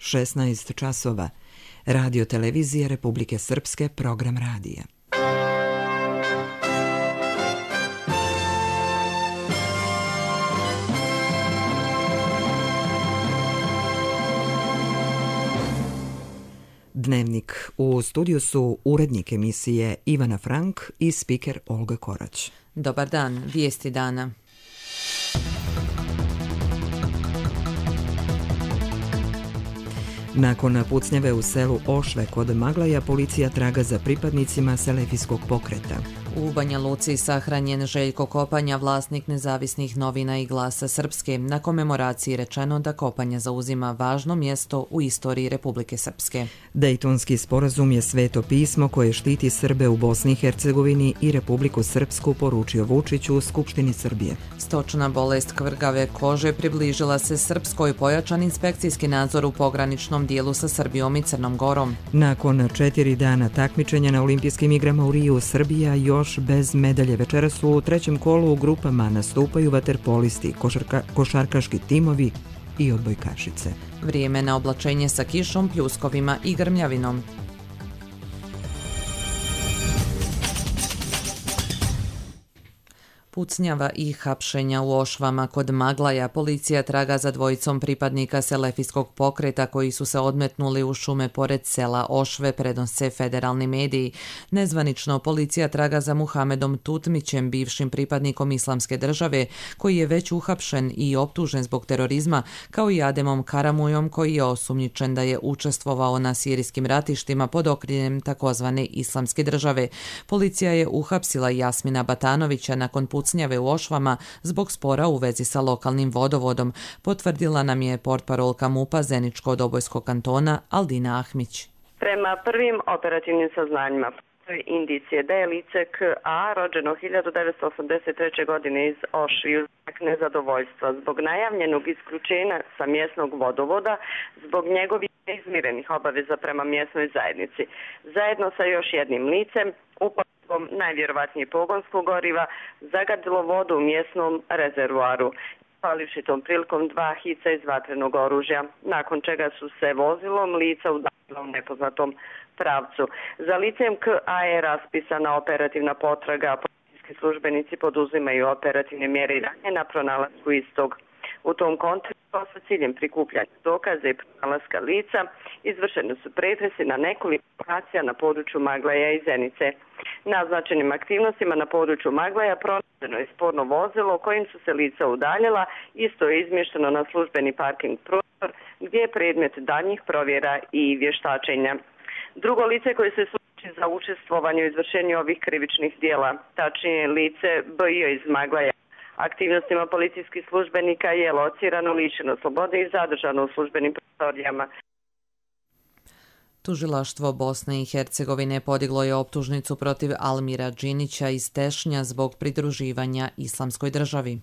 16 časova. Radio Televizije Republike Srpske, program radija. Dnevnik. U studiju su urednik emisije Ivana Frank i spiker Olga Korać. Dobar dan, vijesti dana. Nakon pucnjave u selu Ošve kod Maglaja, policija traga za pripadnicima selefijskog pokreta. U Banja Luci sahranjen Željko Kopanja, vlasnik Nezavisnih novina i Glasa Srpske. Na komemoraciji rečeno da Kopanja zauzima važno mjesto u istoriji Republike Srpske. Dejtonski sporazum je sveto pismo koje štiti Srbe u Bosni i Hercegovini i Republiku Srpsku, poručio Vučić u Skupštini Srbije. Stočna bolest kvrgave kože približila se Srpskoj, pojačan inspekcijski nadzor u pograničnom dijelu sa Srbijom i Crnom Gorom. Nakon 4 dana takmičenja na Olimpijskim igrama u Riju, Srbija još bez medalje. Večeras u trećem kolu u grupama nastupaju vaterpolisti, košarkaški timovi i odbojkašice. Vrijeme na oblačenje sa kišom, pljuskovima i grmljavinom. Pucnjava i hapšenja u Ošvama kod Maglaja. Policija traga za dvojicom pripadnika selefijskog pokreta koji su se odmetnuli u šume pored sela Ošve, prenose federalni mediji. Nezvanično policija traga za Muhamedom Tutmićem, bivšim pripadnikom Islamske države, koji je već uhapšen i optužen zbog terorizma, kao i Ademom Karamujom, koji je osumnjičen da je učestvovao na sirijskim ratištima pod okriljem takozvane Islamske države. Policija je uhapsila Jasmina Batanovića nakon pucnjave u Ošvama zbog spora u vezi sa lokalnim vodovodom, potvrdila nam je portparolka MUP-a Zeničko-Dobojskog kantona Aldina Ahmić. Prema prvim operativnim saznanjima indicije da je lice K.A. rođeno 1983. godine iz Ošviju znak nezadovoljstva zbog najavljenog isključenja sa mjesnog vodovoda zbog njegovih neizmirenih obaveza prema mjesnoj zajednici. Zajedno sa još jednim licem upalom najvjerovatnije pogonskog goriva zagadilo vodu u mjesnom rezervoaru, palivši tom prilikom 2 hica iz vatrenog oružja, nakon čega su se vozilom lica udaljila u nepoznatom pravcu. Za licem K.A. je raspisana operativna potraga, a policijski službenici poduzimaju operativne mjere i dalje na pronalasku istog. U tom kontekstu sa ciljem prikupljanja dokaza i pronalaska lica izvršeni su pretresi na nekoliko lokacija na području Maglaja i Zenice. Naznačenim aktivnostima na području Maglaja pronađeno je sporno vozilo kojim su se lica udaljila, isto je izmješteno na službeni parking prostor gdje je predmet daljnjih provjera i vještačenja. Drugo lice koje se suči za učestvovanje u izvršenju ovih krivičnih dijela, tačnije lice B.I. iz Maglaja. Aktivnostima policijskih službenika je locirano, lišeno slobode i zadržano u službenim prostorijama. Tužilaštvo Bosne i Hercegovine podiglo je optužnicu protiv Almira Džinića iz Tešnja zbog pridruživanja Islamskoj državi.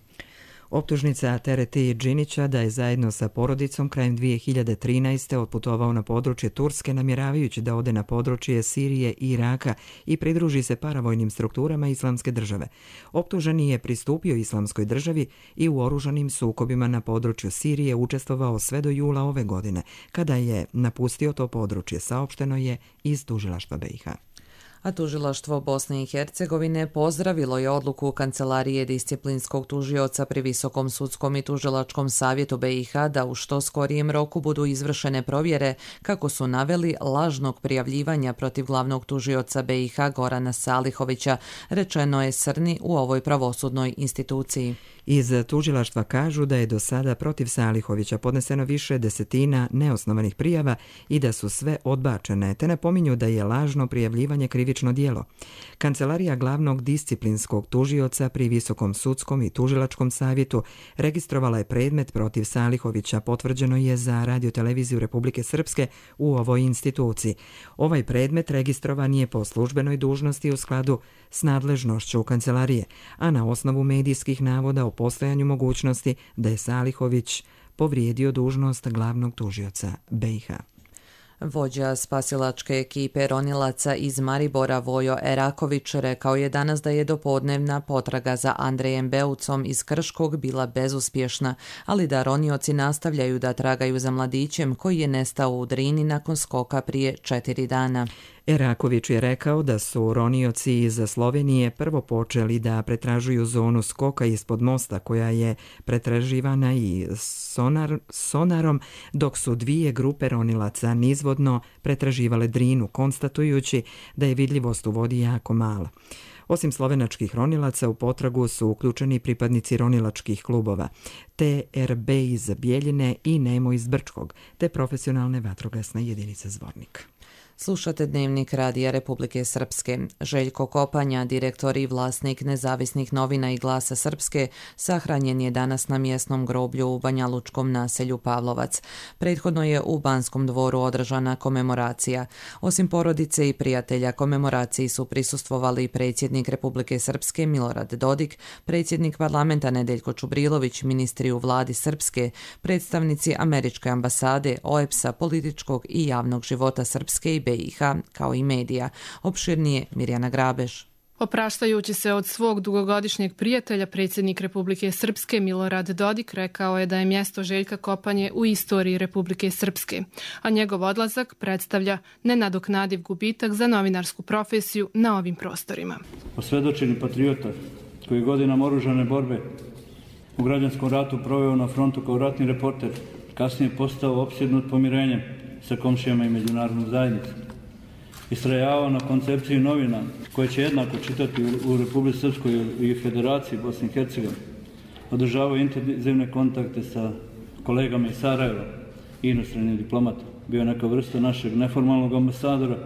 Optužnica tereti Džinića da je zajedno sa porodicom krajem 2013. otputovao na područje Turske namjeravajući da ode na područje Sirije i Iraka i pridruži se paravojnim strukturama Islamske države. Optuženi je pristupio Islamskoj državi i u oružanim sukobima na području Sirije učestvovao sve do jula ove godine. Kada je napustio to područje, saopšteno je iz tužilaštva BiH. A tužilaštvo Bosne i Hercegovine pozdravilo je odluku Kancelarije disciplinskog tužioca pri Visokom sudskom i tužilačkom savjetu BiH da u što skorijem roku budu izvršene provjere, kako su naveli, lažnog prijavljivanja protiv glavnog tužioca BiH Gorana Salihovića, rečeno je Srni u ovoj pravosudnoj instituciji. Iz tužilaštva kažu da je do sada protiv Salihovića podneseno više desetina neosnovanih prijava i da su sve odbačene, te napominju da je lažno prijavljivanje krivično djelo. Kancelarija glavnog disciplinskog tužioca pri Visokom sudskom i tužilačkom savjetu registrovala je predmet protiv Salihovića, potvrđeno je za Radio Televiziju Republike Srpske u ovoj instituciji. Ovaj predmet registrovan je po službenoj dužnosti u skladu s nadležnošću kancelarije, a na osnovu medijskih navoda o postojanju mogućnosti da je Salihović povrijedio dužnost glavnog tužioca BiH. Vođa spasilačke ekipe ronilaca iz Maribora Vojo Eraković rekao je danas da je dopodnevna potraga za Andrejem Beucom iz Krškog bila bezuspješna, ali da ronioci nastavljaju da tragaju za mladićem koji je nestao u Drini nakon skoka prije 4 dana. Eraković je rekao da su ronioci iz Slovenije prvo počeli da pretražuju zonu skoka ispod mosta koja je pretraživana i sonarom, dok su 2 grupe ronilaca nizvodno pretraživale Drinu, konstatujući da je vidljivost u vodi jako mala. Osim slovenačkih ronilaca u potragu su uključeni pripadnici ronilačkih klubova TRB iz Bijeljine i Nemo iz Brčkog, te profesionalne vatrogasne jedinice Zvornik. Slušate Dnevnik Radija Republike Srpske. Željko Kopanja, direktor i vlasnik Nezavisnih novina i Glasa Srpske, sahranjen je danas na mjesnom groblju u banjalučkom naselju Pavlovac. Prethodno je u Banskom dvoru održana komemoracija. Osim porodice i prijatelja, komemoraciji su prisustvovali predsjednik Republike Srpske Milorad Dodik, predsjednik parlamenta Nedeljko Čubrilović, ministri u vladi Srpske, predstavnici Američke ambasade, OEBS-a, političkog i javnog života Srpske i BiH, kao i medija. Opširnije Mirjana Grabež. Opraštajući se od svog dugogodišnjeg prijatelja, predsjednik Republike Srpske Milorad Dodik rekao je da je mjesto Željka Kopanje u istoriji Republike Srpske, a njegov odlazak predstavlja nenadoknadiv gubitak za novinarsku profesiju na ovim prostorima. Osvjedočeni patriota koji je godinama oružane borbe u građanskom ratu proveo na frontu kao ratni reporter, kasnije postao opsjednut pomirenjem sa komšijama i međunarodnom zajednicom. Istrajavao na koncepciji novina koje će jednako čitati u Republici Srpskoj i Federaciji Bosne i Hercegovine. Održavao intenzivne kontakte sa kolegama iz Sarajeva i inostranim diplomatom. Bio neka vrsta našeg neformalnog ambasadora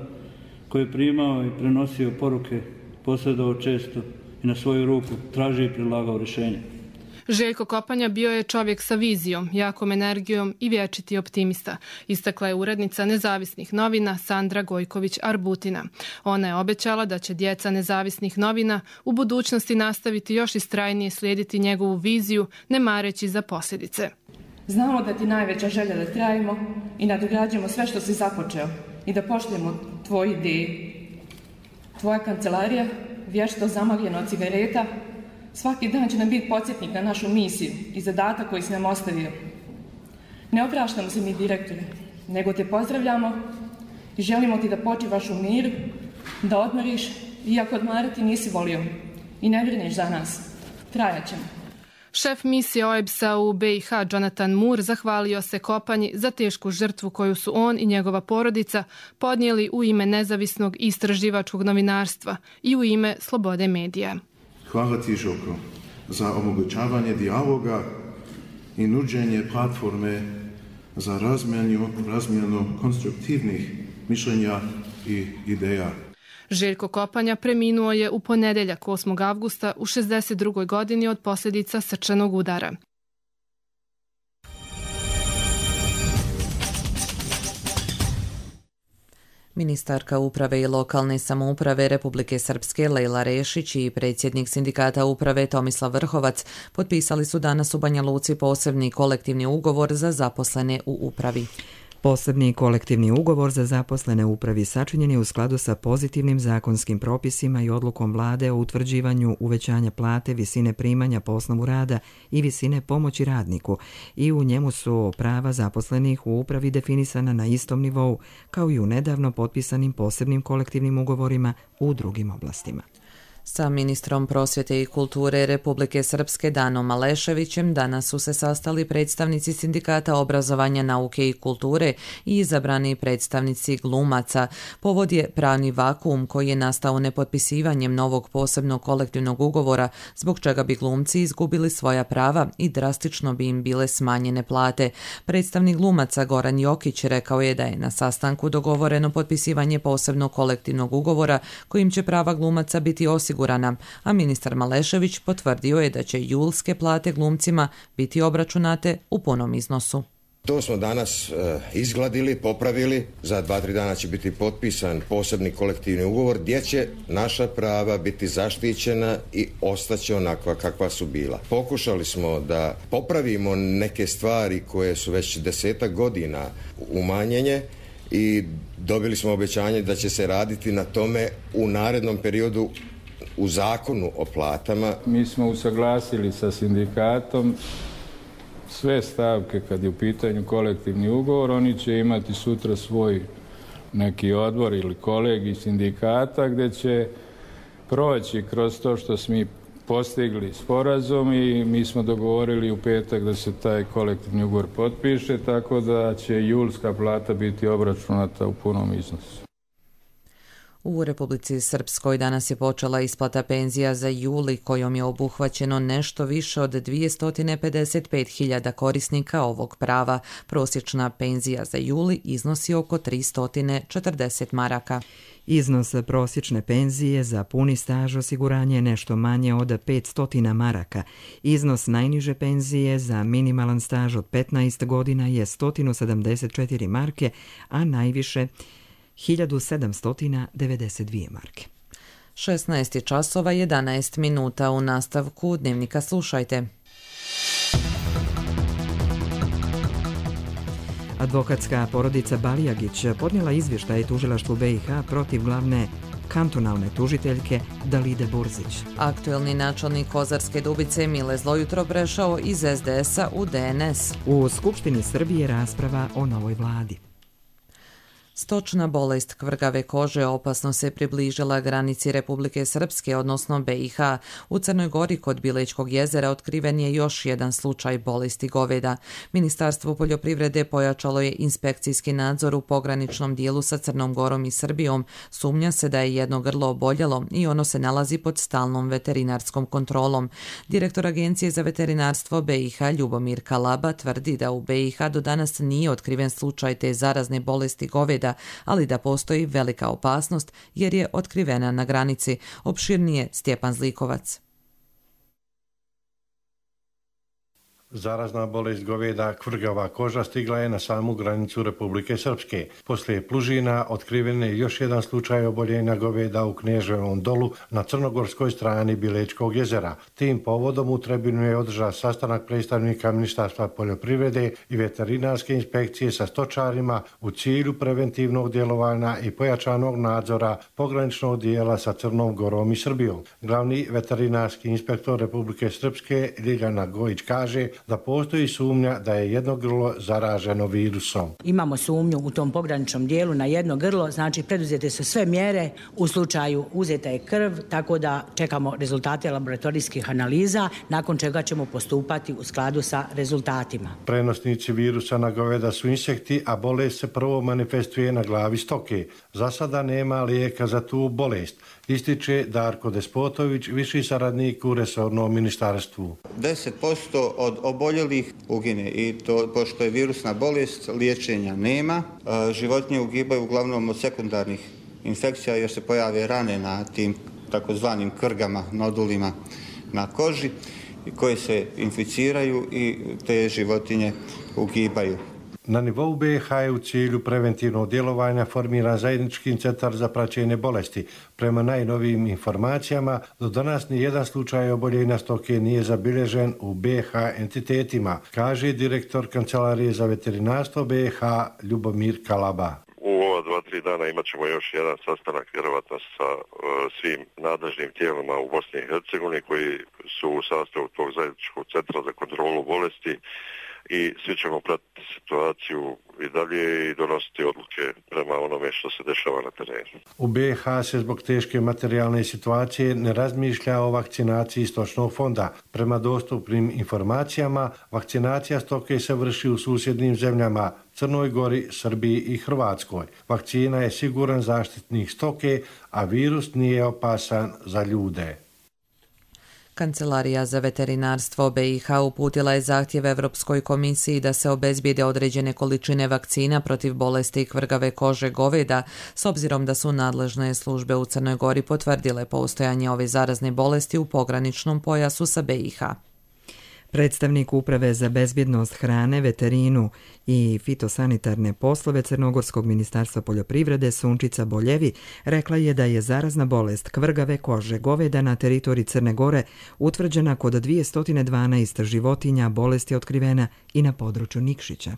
koji je primao i prenosio poruke, posredovao često i na svoju ruku tražio i predlagao rješenje. Željko Kopanja bio je čovjek sa vizijom, jakom energijom i vječiti optimista, istakla je urednica Nezavisnih novina Sandra Gojković-Arbutina. Ona je obećala da će djeca Nezavisnih novina u budućnosti nastaviti još istrajnije slijediti njegovu viziju, ne mareći za posljedice. Znamo da ti najveća želja da trajimo i nadograđujemo sve što si započeo i da poštujemo tvoje ideje. Tvoja kancelarija, vješto zamagljena od cigareta, svaki dan će nam biti podsjetnik na našu misiju i zadatak koji si nam ostavio. Ne opraštamo se mi, direktore, nego te pozdravljamo i želimo ti da počivaš u miru, da odmoriš, iako odmarati nisi volio i ne brineš za nas. Trajat ćemo. Šef misije OEBS-a u BiH Jonathan Moore zahvalio se Kopanji za tešku žrtvu koju su on i njegova porodica podnijeli u ime nezavisnog istraživačkog novinarstva i u ime slobode medija. Hvala ti, Žoko, za omogućavanje dijaloga i nuđenje platforme za razmjenu konstruktivnih mišljenja i ideja. Željko Kopanja preminuo je u ponedjeljak 8. avgusta u 62. godini od posljedica srčanog udara. Ministarka uprave i lokalne samouprave Republike Srpske Lejla Rešić i predsjednik sindikata uprave Tomislav Vrhovac potpisali su danas u Banja Luci posebni kolektivni ugovor za zaposlene u upravi. Posebni kolektivni ugovor za zaposlene u upravi sačinjen je u skladu sa pozitivnim zakonskim propisima i odlukom vlade o utvrđivanju uvećanja plate, visine primanja po osnovu rada i visine pomoći radniku i u njemu su prava zaposlenih u upravi definisana na istom nivou kao i u nedavno potpisanim posebnim kolektivnim ugovorima u drugim oblastima. Sa ministrom prosvjete i kulture Republike Srpske Danom Maleševićem danas su se sastali predstavnici sindikata obrazovanja, nauke i kulture i izabrani predstavnici glumaca. Povod je pravni vakuum koji je nastao nepotpisivanjem novog posebnog kolektivnog ugovora, zbog čega bi glumci izgubili svoja prava i drastično bi im bile smanjene plate. Predstavnik glumaca Goran Jokić rekao je da je na sastanku dogovoreno potpisivanje posebnog kolektivnog ugovora kojim će prava glumaca biti osigurana, a ministar Malešević potvrdio je da će julske plate glumcima biti obračunate u punom iznosu. To smo danas izgladili, popravili. Za 2-3 dana će biti potpisan posebni kolektivni ugovor gdje će naša prava biti zaštićena i ostaće onakva kakva su bila. Pokušali smo da popravimo neke stvari koje su već 10-ak godina umanjenje i dobili smo obećanje da će se raditi na tome u narednom periodu u zakonu o platama. Mi smo usaglasili sa sindikatom sve stavke kad je u pitanju kolektivni ugovor. Oni će imati sutra svoj neki odbor ili kolegij sindikata gdje će proći kroz to što smo postigli sporazum i mi smo dogovorili u petak da se taj kolektivni ugovor potpiše, tako da će julska plata biti obračunata u punom iznosu. U Republici Srpskoj danas je počela isplata penzija za juli, kojom je obuhvaćeno nešto više od 255.000 korisnika ovog prava. Prosječna penzija za juli iznosi oko 340 maraka. Iznos prosječne penzije za puni staž osiguranja je nešto manje od 500 maraka. Iznos najniže penzije za minimalan staž od 15 godina je 174 marke, a najviše 1792 marke. 16 časova 11 minuta. U nastavku Dnevnika slušajte. Advokatska porodica Balijagić podnijela izvještaj tužilaštvu BiH protiv glavne kantonalne tužiteljke Dalide Burzić. Aktuelni načelnik Kozarske Dubice Mile Zlojutro prešao iz SDS-a u DNS. U Skupštini Srbije rasprava o novoj vladi. Stočna bolest kvrgave kože opasno se približila granici Republike Srpske, odnosno BiH. U Crnoj Gori kod Bilečkog jezera otkriven je još jedan slučaj bolesti goveda. Ministarstvo poljoprivrede pojačalo je inspekcijski nadzor u pograničnom dijelu sa Crnom Gorom i Srbijom. Sumnja se da je jedno grlo oboljelo i ono se nalazi pod stalnom veterinarskom kontrolom. Direktor Agencije za veterinarstvo BiH Ljubomir Kalaba tvrdi da u BiH do danas nije otkriven slučaj te zarazne bolesti goveda, ali da postoji velika opasnost jer je otkrivena na granici. Opširnije Stjepan Zlikovac. Zarazna bolest goveda kvrgava koža stigla je na samu granicu Republike Srpske. Poslije Plužina otkriven je još jedan slučaj oboljenja goveda u Kneževom dolu na crnogorskoj strani Bilečkog jezera. Tim povodom u Trebinu je održan sastanak predstavnika Ministarstva poljoprivrede i veterinarske inspekcije sa stočarima u cilju preventivnog djelovanja i pojačanog nadzora pograničnog dijela sa Crnom Gorom i Srbijom. Glavni veterinarski inspektor Republike Srpske Ljiljana Gojić kaže da postoji sumnja da je jedno grlo zaraženo virusom. Imamo sumnju u tom pograničnom dijelu na jedno grlo, znači preduzete su sve mjere, u slučaju uzeta je krv, tako da čekamo rezultate laboratorijskih analiza, nakon čega ćemo postupati u skladu sa rezultatima. Prenosnici virusa na goveda su insekti, a bolest se prvo manifestuje na glavi stoke. Za sada nema lijeka za tu bolest, ističe Darko Despotović, viši saradnik u resornom ministarstvu. 10% od oboljelih ugine i to, pošto je virusna bolest, liječenja nema. Životinje ugibaju uglavnom od sekundarnih infekcija jer se pojave rane na tim takozvanim krgama, nodulima na koži koje se inficiraju i te životinje ugibaju. Na nivou BiH je u cilju preventivnog djelovanja formiran zajednički centar za praćenje bolesti. Prema najnovijim informacijama, do danas ni jedan slučaj oboljenja stoke nije zabilježen u BiH entitetima, kaže direktor Kancelarije za veterinarstvo BiH Ljubomir Kalaba. U ova 2-3 dana imat ćemo još jedan sastanak vjerovatno sa svim nadležnim tijelima u Bosni i Hercegovini koji su u sastavu tog zajedničkog centra za kontrolu bolesti i svi ćemo pratiti situaciju i dalje i donositi odluke prema onome što se dešava na terenu. U BiH se zbog teške materijalne situacije ne razmišlja o vakcinaciji stočnog fonda. Prema dostupnim informacijama, vakcinacija stoke se vrši u susjednim zemljama Crnoj Gori, Srbiji i Hrvatskoj. Vakcina je siguran zaštitnik stoke, a virus nije opasan za ljude. Kancelarija za veterinarstvo BiH uputila je zahtjev Evropskoj komisiji da se obezbijede određene količine vakcina protiv bolesti kvrgave kože goveda, s obzirom da su nadležne službe u Crnoj Gori potvrdile postojanje ove zarazne bolesti u pograničnom pojasu sa BiH. Predstavnik Uprave za bezbjednost hrane, veterinu i fitosanitarne poslove Crnogorskog ministarstva poljoprivrede Sunčica Boljevi rekla je da je zarazna bolest kvrgave kože goveda na teritoriji Crne Gore utvrđena kod 212 životinja, bolest je otkrivena i na području Nikšića.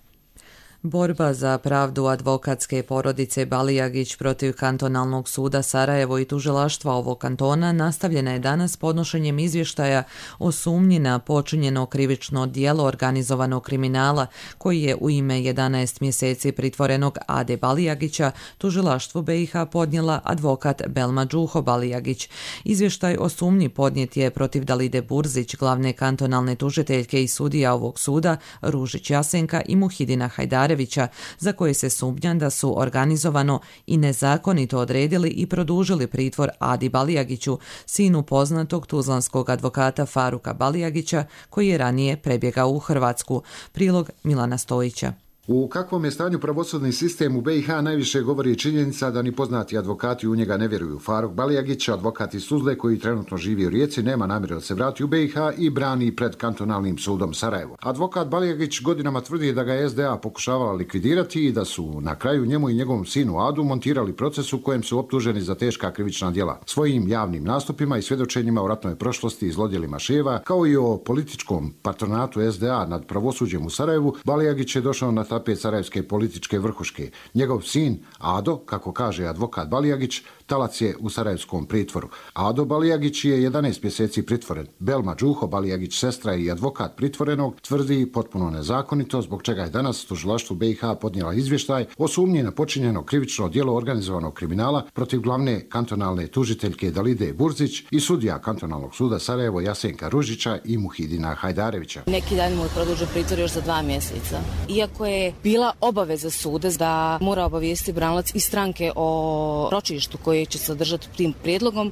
Borba za pravdu advokatske porodice Balijagić protiv kantonalnog suda Sarajevo i tužilaštva ovog kantona nastavljena je danas podnošenjem izvještaja o sumnji na počinjeno krivično djelo organizovanog kriminala koji je u ime 11 mjeseci pritvorenog Ade Balijagića tužilaštvu BiH podnijela advokat Belma Đuho Balijagić. Izvještaj o sumnji podnijet je protiv Dalide Burzić, glavne kantonalne tužiteljke i sudija ovog suda, Ružić Jasenka i Muhidina Hajdarevića, za koje se sumnja da su organizovano i nezakonito odredili i produžili pritvor Adi Balijagiću, sinu poznatog tuzlanskog advokata Faruka Balijagića, koji je ranije prebjegao u Hrvatsku. Prilog Milana Stojića. U kakvom je stanju pravosudni sistem u BiH najviše govori činjenica da ni poznati advokati u njega ne vjeruju. Faruk Balijagić, advokat iz Tuzle koji trenutno živi u Rijeci, nema namjeru da se vrati u BiH i brani pred kantonalnim sudom Sarajevo. Advokat Balijagić godinama tvrdi da ga je SDA pokušavala likvidirati i da su na kraju njemu i njegovom sinu Adu montirali proces u kojem su optuženi za teška krivična djela. Svojim javnim nastupima i svjedočenjima o ratnoj prošlosti i zlodjelima Ševa, kao i o političkom patronatu SDA nad pravosuđem u Sarajevu, Balijagić je došao na tapet sarajevske političke vrhuške. Njegov sin, Ado, kako kaže advokat Balijagić, talac je u sarajevskom pritvoru. Ado Balijagić je 11 mjeseci pritvoren. Belma Đuho Balijagić, sestra i advokat pritvorenog, tvrdi potpuno nezakonito, zbog čega je danas tužilaštvu BiH podnijela izvještaj o sumnji na počinjeno krivično djelo organizovanog kriminala protiv glavne kantonalne tužiteljke Dalide Burzić i sudija kantonalnog suda Sarajevo Jasenka Ružića i Muhidina Hajdarevića. Neki dan mu je produžen pritvor još za 2 mjeseca. Iako je bila obaveza suda da mora obavijestiti branilac i stranke o ročištu koje će se održati tim prijedlogom,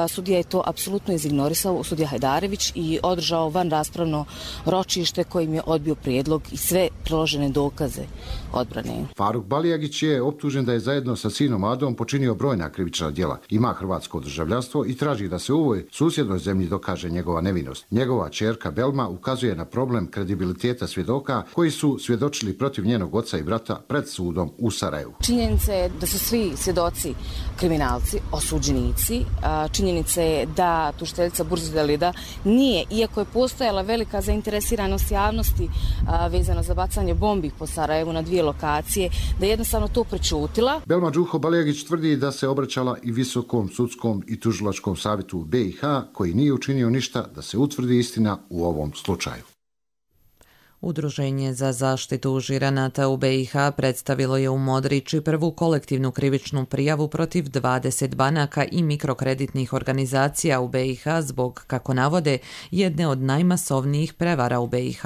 sudija je to apsolutno izignorisao, sudija Hajdarević, i održao van raspravno ročište kojim je odbio prijedlog i sve priložene dokaze odbrane. Faruk Balijagić je optužen da je zajedno sa sinom Adom počinio brojna krivična djela. Ima hrvatsko državljanstvo i traži da se u ovoj susjednoj zemlji dokaže njegova nevinost. Njegova ćerka Belma ukazuje na problem kredibiliteta svjedoka koji su svjedočili protiv njenog oca i brata pred sudom u Sarajevu. Činjenica je da su svi svjedoci kriminalci, osuđenici. Činjenica je da tužiteljica Burzić Dalida nije, iako je postojala velika zainteresiranost javnosti vezano za bacanje bombi po Sarajevu na 2 lokacije, da je jednostavno to prečutila. Belma Đuho Balijagić tvrdi da se obraćala i Visokom sudskom i tužilačkom savjetu u BiH, koji nije učinio ništa da se utvrdi istina u ovom slučaju. Udruženje za zaštitu žiranata u BiH predstavilo je u Modriči prvu kolektivnu krivičnu prijavu protiv 20 banaka i mikrokreditnih organizacija u BiH zbog, kako navode, jedne od najmasovnijih prevara u BiH.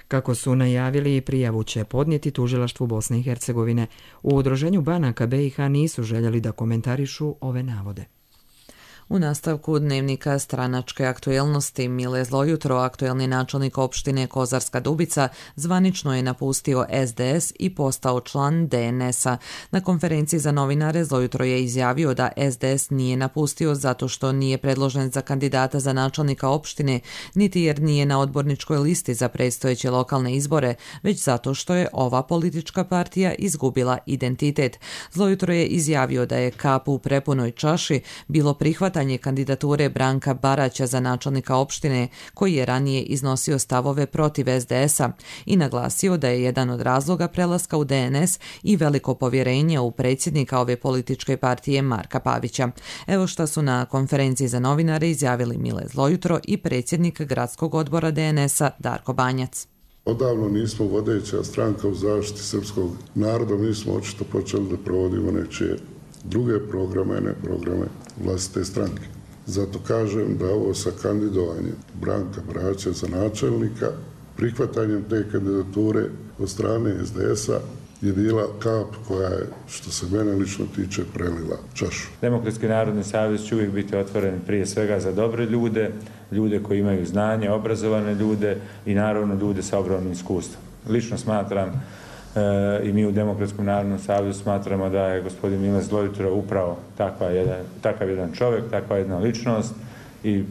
Kako su najavili, prijavu će podnijeti tužilaštvu Bosne i Hercegovine. U Udruženju banaka BiH nisu željeli da komentarišu ove navode. U nastavku dnevnika stranačke aktuelnosti Mile Zlojutro, aktuelni načelnik opštine Kozarska Dubica, zvanično je napustio SDS i postao član DNS-a. Na konferenciji za novinare Zlojutro je izjavio da SDS nije napustio zato što nije predložen za kandidata za načelnika opštine, niti jer nije na odborničkoj listi za predstojeće lokalne izbore, već zato što je ova politička partija izgubila identitet. Zlojutro je izjavio da je kap u prepunoj čaši bilo prihvatanje kandidature Branka Baraća za načelnika opštine, koji je ranije iznosio stavove protiv SDS-a, i naglasio da je jedan od razloga prelaska u DNS i veliko povjerenje u predsjednika ove političke partije Marka Pavića. Evo šta su na konferenciji za novinare izjavili Mile Zlojutro i predsjednik gradskog odbora DNS-a Darko Banjac. Odavno nismo vodeća stranka u zaštiti srpskog naroda, mi smo očito počeli da provodimo nečije druge programe, ne programe vlastite stranke. Zato kažem da ovo sa kandidovanjem Branka Baraća za načelnika, prihvatanjem te kandidature od strane SDS-a je bila kap koja je, što se mene lično tiče, prelila čašu. Demokratski narodni savez će uvijek biti otvoren prije svega za dobre ljude, ljude koji imaju znanje, obrazovane ljude i naravno ljude sa ogromnim iskustvom. Lično smatram i mi u Demokratskom narodnom savezu smatramo da je gospodin Mile Zlojutro upravo takav jedan čovjek, takva jedna ličnost, i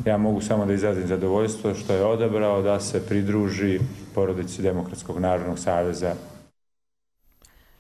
ja mogu samo da izrazim zadovoljstvo što je odabrao da se pridruži porodici Demokratskog narodnog saveza.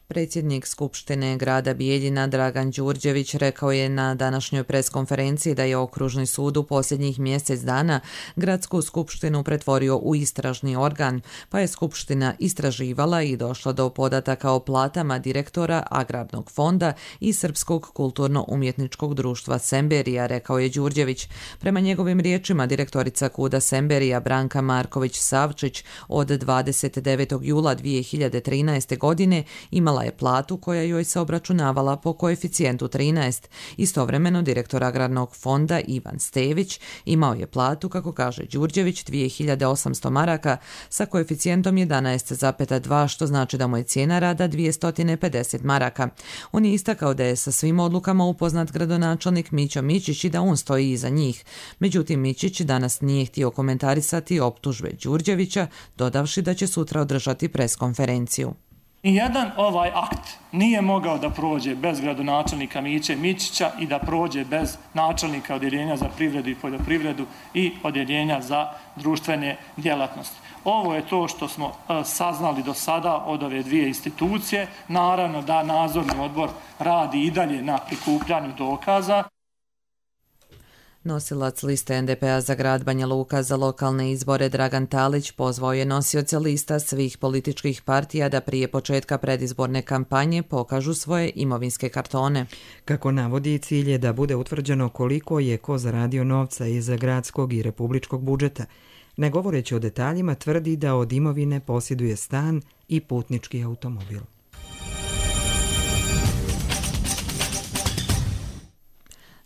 Predsjednik Skupštine grada Bijeljina Dragan Đurđević rekao je na današnjoj preskonferenciji da je Okružni sud u posljednjih mjesec dana gradsku skupštinu pretvorio u istražni organ, pa je skupština istraživala i došla do podataka o platama direktora Agrarnog fonda i Srpskog kulturno-umjetničkog društva Semberija, rekao je Đurđević. Prema njegovim riječima, direktorica KUD-a Semberija Branka Marković-Savčić od 29. jula 2013. godine imala je platu koja joj se obračunavala po koeficijentu 13. Istovremeno, direktor Agrarnog fonda Ivan Stević imao je platu, kako kaže Đurđević, 2800 maraka sa koeficijentom 11,2, što znači da mu je cijena rada 250 maraka. On je istakao da je sa svim odlukama upoznat gradonačelnik Mićo Mičić i da on stoji iza njih. Međutim, Mičić danas nije htio komentarisati optužbe Đurđevića, dodavši da će sutra održati preskonferenciju. Nijedan ovaj akt nije mogao da prođe bez gradonačelnika Miće Mičića i da prođe bez načelnika odjeljenja za privredu i poljoprivredu i odjeljenja za društvene djelatnosti. Ovo je to što smo saznali do sada od ove dvije institucije. Naravno da nadzorni odbor radi i dalje na prikupljanju dokaza. Nosilac liste NDP-a za grad Banja Luka za lokalne izbore Dragan Talić pozvao je nosioce lista svih političkih partija da prije početka predizborne kampanje pokažu svoje imovinske kartone. Kako navodi, cilj je da bude utvrđeno koliko je ko zaradio novca iz gradskog i republičkog budžeta. Ne govoreći o detaljima, tvrdi da od imovine posjeduje stan i putnički automobil.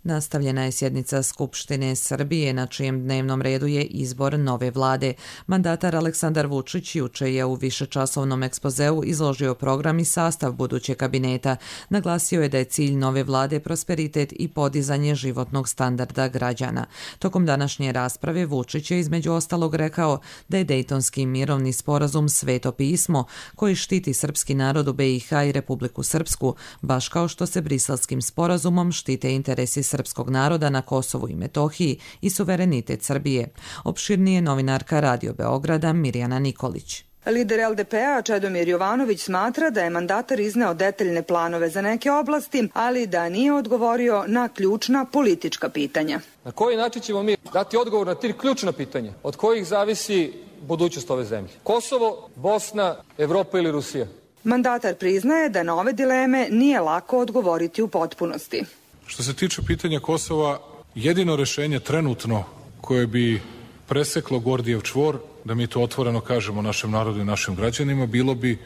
Nastavljena je sjednica Skupštine Srbije, na čijem dnevnom redu je izbor nove vlade. Mandatar Aleksandar Vučić juče je u višečasovnom ekspozeu izložio program i sastav budućeg kabineta. Naglasio je da je cilj nove vlade prosperitet i podizanje životnog standarda građana. Tokom današnje rasprave Vučić je između ostalog rekao da je Dejtonski mirovni sporazum sveto pismo koji štiti srpski narod u BiH i Republiku Srpsku, baš kao što se Briselskim sporazumom štite interesi srpskog naroda na Kosovu i Metohiji i suverenitet Srbije. Opširnije novinarka Radio Beograda Mirjana Nikolić. Lider LDP-a Čedomir Jovanović smatra da je mandatar izneo detaljne planove za neke oblasti, ali da nije odgovorio na ključna politička pitanja. Na koji način ćemo mi dati odgovor na tri ključna pitanja od kojih zavisi budućnost ove zemlje? Kosovo, Bosna, Evropa ili Rusija? Mandatar priznaje da na ove dileme nije lako odgovoriti u potpunosti. Što se tiče pitanja Kosova, jedino rešenje trenutno koje bi preseklo Gordijev čvor, da mi to otvoreno kažemo našem narodu i našim građanima, bilo bi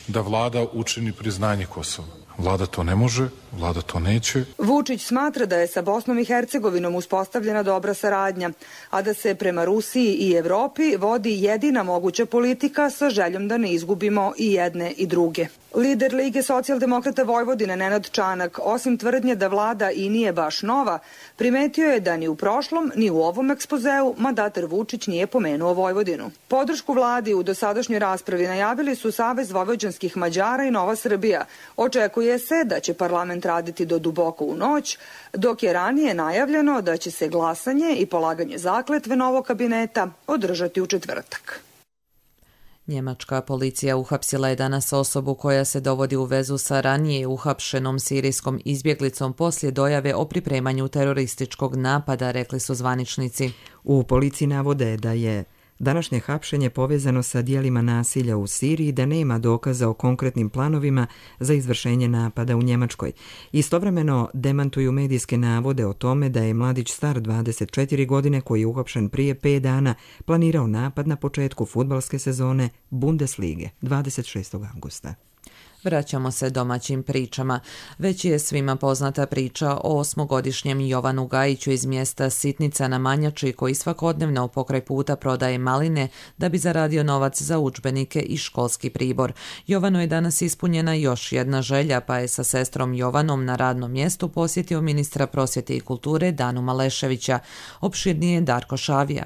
da vlada učini priznanje Kosova. Vlada to ne može, vlada to neće. Vučić smatra da je sa Bosnom i Hercegovinom uspostavljena dobra saradnja, a da se prema Rusiji i Evropi vodi jedina moguća politika sa željom da ne izgubimo i jedne i druge. Lider Lige socijaldemokrata Vojvodine Nenad Čanak, osim tvrdnje da vlada i nije baš nova, primetio je da ni u prošlom, ni u ovom ekspozeu mandatar Vučić nije pomenuo Vojvodinu. Podršku vladi u dosadašnjoj raspravi najavili su Savez vojvođanskih Mađara i Nova Srbija. Očekuje se da će parlament raditi do duboko u noć, dok je ranije najavljeno da će se glasanje i polaganje zakletve novog kabineta održati u četvrtak. Njemačka policija uhapsila je danas osobu koja se dovodi u vezu sa ranije uhapšenom sirijskom izbjeglicom poslije dojave o pripremanju terorističkog napada, rekli su zvaničnici. U policiji navode da je današnje hapšenje povezano sa dijelima nasilja u Siriji, da nema dokaza o konkretnim planovima za izvršenje napada u Njemačkoj. Istovremeno demantuju medijske navode o tome da je mladić star 24 godine koji je uhapšen prije 5 dana planirao napad na početku fudbalske sezone Bundeslige 26. avgusta. Vraćamo se domaćim pričama. Već je svima poznata priča o 8-godišnjem Jovanu Gajiću iz mjesta Sitnica na Manjači koji svakodnevno pokraj puta prodaje maline da bi zaradio novac za udžbenike i školski pribor. Jovanu je danas ispunjena još jedna želja, pa je sa sestrom Jovanom na radnom mjestu posjetio ministra prosvjete i kulture Danu Maleševića. Opširnije Darko Šavija.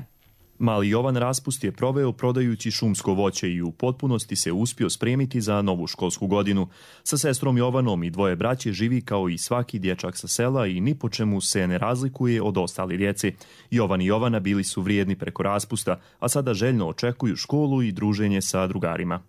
Mali Jovan Raspust je proveo prodajući šumsko voće i u potpunosti se uspio spremiti za novu školsku godinu. Sa sestrom Jovanom i dvoje braće živi kao i svaki dječak sa sela i ni po čemu se ne razlikuje od ostali djeci. Jovan i Jovana bili su vrijedni preko raspusta, a sada željno očekuju školu i druženje sa drugarima.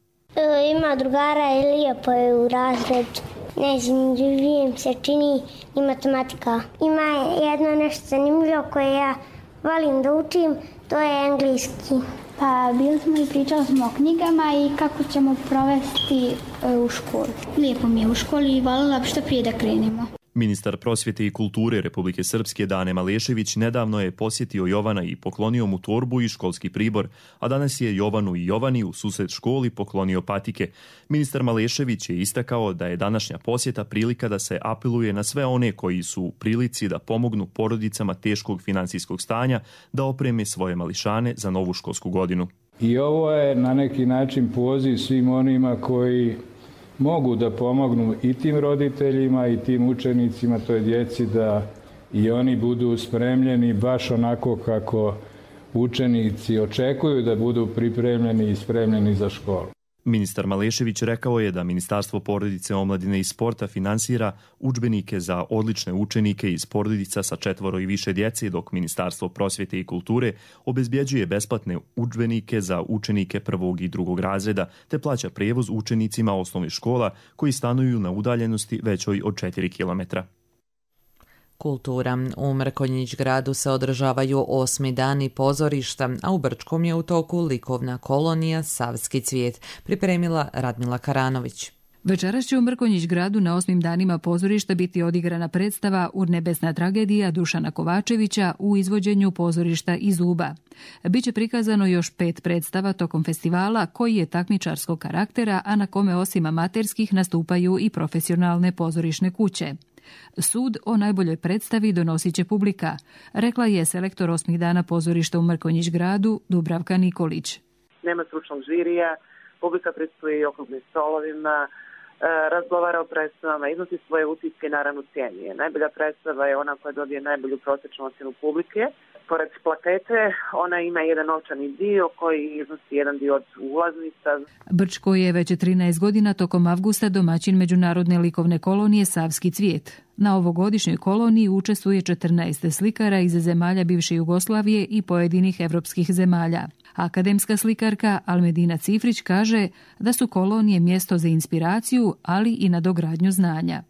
Ima ima drugara i lijepo je u razredu. Najzanimljivije mi se čini i matematika. Ima jedno nešto zanimljivo koje ja volim da učim, to je engleski. Pa bili smo i pričali smo o knjigama i kako ćemo provesti u školi. Lijepo mi je u školi i voljela bi što prije da krenemo. Ministar prosvjete i kulture Republike Srpske Dane Malešević nedavno je posjetio Jovana i poklonio mu torbu i školski pribor, a danas je Jovanu i Jovani u susret školi poklonio patike. Ministar Malešević je istakao da je današnja posjeta prilika da se apeluje na sve one koji su u prilici da pomognu porodicama teškog financijskog stanja da opreme svoje mališane za novu školsku godinu. I ovo je na neki način poziv svim onima koji mogu da pomognu i tim roditeljima i tim učenicima, toj djeci, da i oni budu spremljeni baš onako kako učenici očekuju da budu pripremljeni i spremljeni za školu. Ministar Malešević rekao je da Ministarstvo porodice, omladine i sporta finansira udžbenike za odlične učenike iz porodica sa 4 i više djece, dok Ministarstvo prosvjete i kulture obezbjeđuje besplatne udžbenike za učenike 1. i 2. razreda, te plaća prijevoz učenicima osnovnih škola koji stanuju na udaljenosti većoj od 4 km. Kultura. U Mrkonjić gradu se održavaju 8. dani pozorišta, a u Brčkom je u toku likovna kolonija Savski cvijet, pripremila Radmila Karanović. Večeras će u Mrkonjić gradu na 8. danima pozorišta biti odigrana predstava Urnebesna tragedija Dušana Kovačevića u izvođenju pozorišta iz Uba. Biće prikazano još 5 predstava tokom festivala koji je takmičarskog karaktera, a na kome osim amaterskih nastupaju i profesionalne pozorišne kuće. Sud o najboljoj predstavi donosit će publika, rekla je selektor 8. dana pozorišta u Mrkonjić gradu Dubravka Nikolić. Nema stručnog žirija, publika prisustvuje okruglim stolovima, razgovara o predstavama, iznosi svoje utiske i naravno cijenije. Najbolja predstava je ona koja dobije najbolju prosječnu ocjenu publike. Pored plakete ona ima jedan novčani dio koji iznosi jedan dio od ulaznica. Brčko je već 13 godina tokom avgusta domaćin međunarodne likovne kolonije Savski cvijet. Na ovogodišnjoj koloniji učestvuje 14 slikara iz zemalja bivše Jugoslavije i pojedinih evropskih zemalja. Akademska slikarka Almedina Cifrić kaže da su kolonije mjesto za inspiraciju, ali i na dogradnju znanja.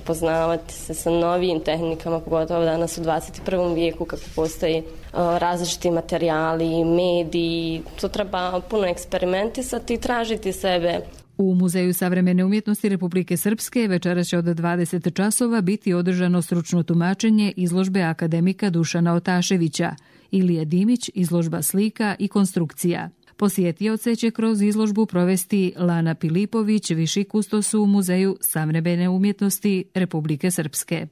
Poznavati se sa novijim tehnikama, pogotovo danas u 21. vijeku kako postoji različiti materijali, mediji, to treba puno eksperimentisati i tražiti sebe. U Muzeju savremene umjetnosti Republike Srpske večeras će od 20 časova biti održano stručno tumačenje izložbe akademika Dušana Otaševića, Ilija Dimić, izložba slika i konstrukcija. Posjetioce će kroz izložbu provesti Lana Pilipović, viši kustos u Muzeju savremene umjetnosti Republike Srpske.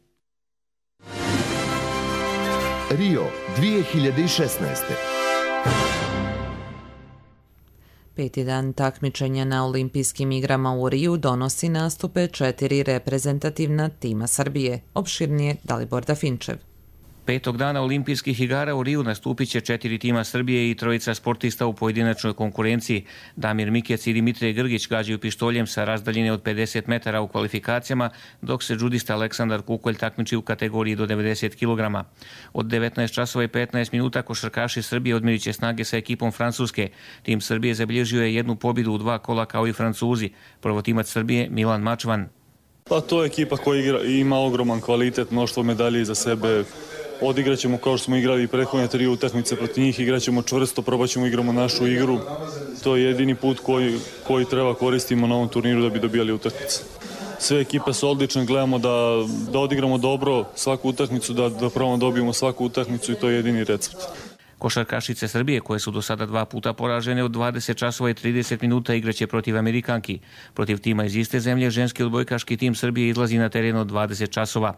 Rio 2016. 5. dan takmičenja na olimpijskim igrama u Riju donosi nastupe 4 reprezentativna tima Srbije. Opširnije Dalibor Dafinčev. 5. dana olimpijskih igara u Riju nastupit će 4 tima Srbije i 3 sportista u pojedinačnoj konkurenciji. Damir Mikec i Dimitrije Grgić gađaju pištoljem sa razdaljine od 50 metara u kvalifikacijama, dok se džudista Aleksandar Kukolj takmiči u kategoriji do 90 kg. Od 19 časova i 15 minuta košarkaši Srbije odmjerit će snage sa ekipom Francuske. Tim Srbije zabilježio je 1 pobjedu u 2 kola kao i Francuzi. Prvotimac Srbije Milan Mačvan. Pa to je ekipa koja ima ogroman kvalitet, mnoštvo medalje iza sebe. Odigrat ćemo kao što smo igrali i prethodne 3 utakmice protiv njih, igrat ćemo čvrsto, probat ćemo igramo našu igru. To je jedini put koji treba koristimo na ovom turniru da bi dobijali utakmice. Sve ekipe su odlične, gledamo da odigramo dobro svaku utakmicu, da probamo dobijemo svaku utakmicu i to je jedini recept. Košarkašice Srbije, koje su do sada 2 puta poražene, od 20 časova i 30 minuta igraće protiv Amerikanki. Protiv tima iz iste zemlje, ženski odbojkaški tim Srbije izlazi na teren od 20 časova.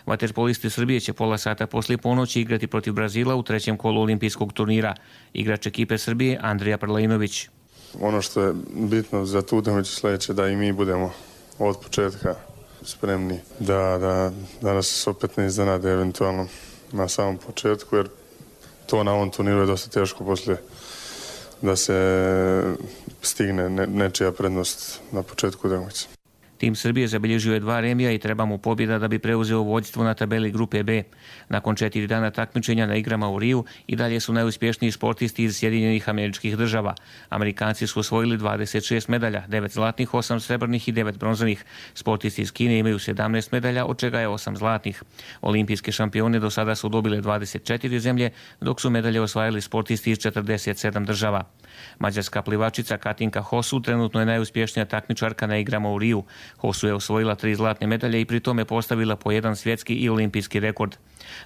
Vaterpolisti Srbije će pola sata poslije ponoći igrati protiv Brazila u 3. kolu olimpijskog turnira. Igrač ekipe Srbije Andrija Prlajinović. Ono što je bitno za tu utakmicu sljedeće da i mi budemo od početka spremni da nas opet ne iznenade eventualno na samom početku, jer to na ovom turniru je dosta teško poslije da se stigne nečija prednost na početku utakmice. Tim Srbije zabilježio je 2 remija i treba mu pobjeda da bi preuzeo vođstvo na tabeli grupe B. Nakon 4 dana takmičenja na igrama u Riju i dalje su najuspješniji sportisti iz Sjedinjenih Američkih Država. Amerikanci su osvojili 26 medalja, 9 zlatnih, 8 srebrnih i 9 bronzanih. Sportisti iz Kine imaju 17 medalja, od čega je 8 zlatnih. Olimpijske šampione do sada su dobile 24 zemlje, dok su medalje osvajali sportisti iz 47 država. Mađarska plivačica Katinka Hosu trenutno je najuspješnija takmičarka na igrama u Riju. Hosu je osvojila 3 zlatne medalje i pri tome postavila po 1 svjetski i olimpijski rekord.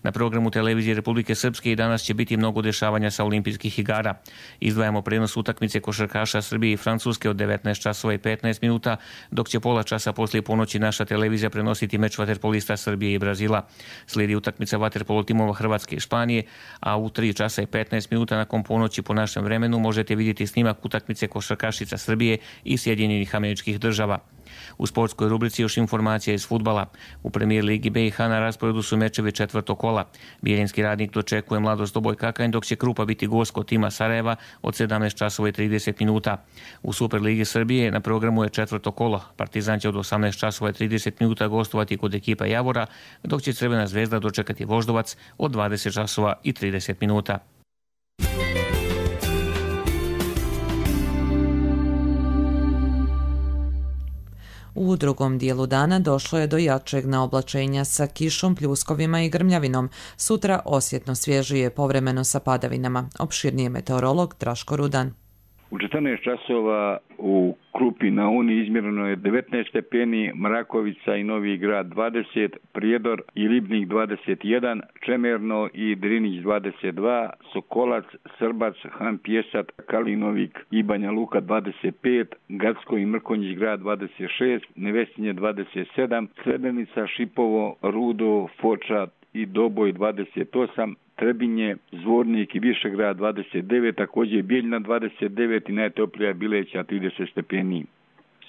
Na programu televizije Republike Srpske i danas će biti mnogo dešavanja sa olimpijskih igara. Izdvajamo prenos utakmice košarkaša Srbije i Francuske od 19 časova i 15 minuta, dok će pola časa poslije ponoći naša televizija prenositi meč vaterpolista Srbije i Brazila. Slijedi utakmica vaterpolo timova Hrvatske i Španije, a u 3 časa i 15 minuta nakon ponoći po našem vremenu možete vidjeti snimak utakmice košarkašica Srbije i Sjedinjenih Američkih Država. U sportskoj rubrici još informacija iz fudbala. U premijer ligi BiH na rasporedu su mečevi 4. kola. Bijeljinski Radnik dočekuje Mladost Doboj Kakanj, dok će Krupa biti gost kod tima Sarajeva od 17 časova i 30 minuta. U Superligi Srbije na programu je 4. kolo. Partizan će od 18 časova i 30 minuta gostovati kod ekipa Javora, dok će Crvena zvezda dočekati Voždovac od 20 časova i 30 minuta. U drugom dijelu dana došlo je do jačeg naoblačenja sa kišom, pljuskovima i grmljavinom. Sutra osjetno svježije, povremeno sa padavinama. Opširnije meteorolog Draško Rudan. U 14 časova u Krupi na Uni izmjereno je 19 stepeni, Mrakovica i Novi Grad 20, Prijedor i Ribnik 21, Čemerno i Drinić 22, Sokolac, Srbac, Han Pjesat, Kalinovik i Banja Luka 25, Gacko i Mrkonjić grad 26, Nevesinje 27, Srebrenica, Šipovo, Rudo, Foča i Doboj 28, Trebinje, Zvornik i Višegrad 29, također Bijeljina 29 i najtoplija Bileća 30 stepeni.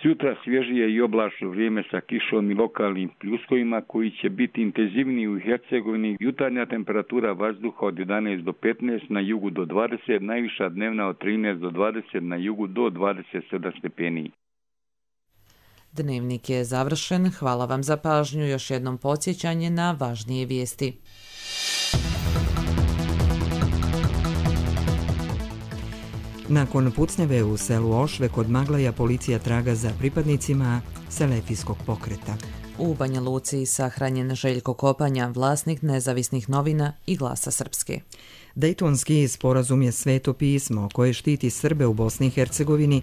Sutra svježije i oblačno vrijeme sa kišom i lokalnim pljuskovima koji će biti intenzivniji u Hercegovini. Jutarnja temperatura vazduha od 11 do 15, na jugu do 20, najviša dnevna od 13 do 20, na jugu do 27 stepeni. Dnevnik je završen. Hvala vam za pažnju. Još jednom podsjećanje na važnije vijesti. Nakon pucnjave u selu Ošve kod Maglaja policija traga za pripadnicima Selefijskog pokreta. U Banja Luci sahranjen Željko Kopanja, vlasnik Nezavisnih novina i Glasa Srpske. Dejtonski sporazum je sveto pismo koje štiti Srbe u Bosni i Hercegovini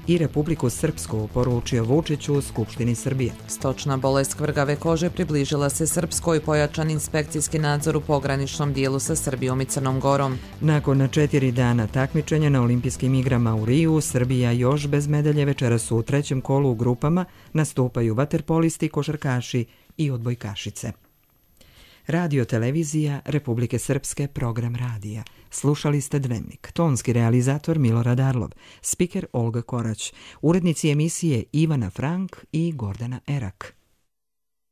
i Republiku Srpsku, poručio Vučić u Skupštini Srbije. Stočna bolest kvrgave kože približila se Srpskoj, pojačan inspekcijski nadzor u pograničnom dijelu sa Srbijom i Crnom Gorom. Nakon 4 dana takmičenja na olimpijskim igrama u Riju, Srbija još bez medalje. Večeras u 3. kolu u grupama nastupaju vaterpolisti, košarkaši i odbojkašice. Radio televizija Republike Srpske, program radija. Slušali ste Dnevnik. Tonski realizator Milorad Arlov, spiker Olga Korać, urednici emisije Ivana Frank i Gordana Erak.